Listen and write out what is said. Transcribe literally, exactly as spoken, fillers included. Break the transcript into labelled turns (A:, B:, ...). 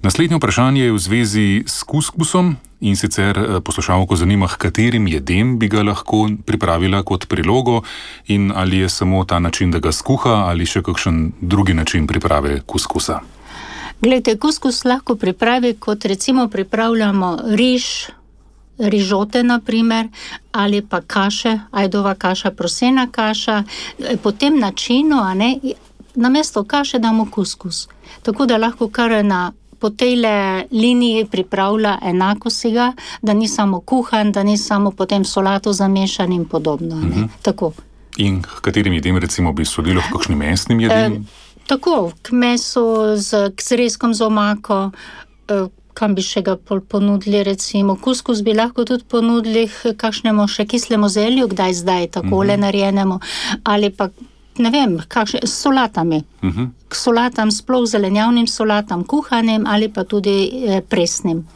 A: Naslednje vprašanje je v zvezi s kuskusom in sicer poslušalko zanima, h katerim jedem bi ga lahko pripravila kot prilogo in ali je samo ta način, da ga skuha ali še kakšen drugi način priprave kuskusa.
B: Glejte, kuskus lahko pripravi, kot recimo pripravljamo riž, rižote na primer, ali pa kaše, ajdova kaša, prosena kaša, po tem načinu, a ne, namesto kaše damo kuskus. Tako da lahko kar na po tejle liniji pripravlja enako siga, da ni samo kuhan, da ni samo potem solato zamešan in podobno. Ne? Uh-huh. Tako.
A: In k katerim jedem recimo bi sodilo k kakšnim mesnim jedem?
B: E, tako, k mesu, z, k zrezkom z omako, e, kam bi še ga ponudili recimo. Kuskus bi lahko tudi ponudili kakšnemu še kislemu zelju, kdaj zdaj, takole uh-huh. narejenemu, ali pa ne vem, kakšne, s solatami. Uh-huh. K solatam, sploh zelenjavnim solatam, kuhanim ali pa tudi eh, presnim.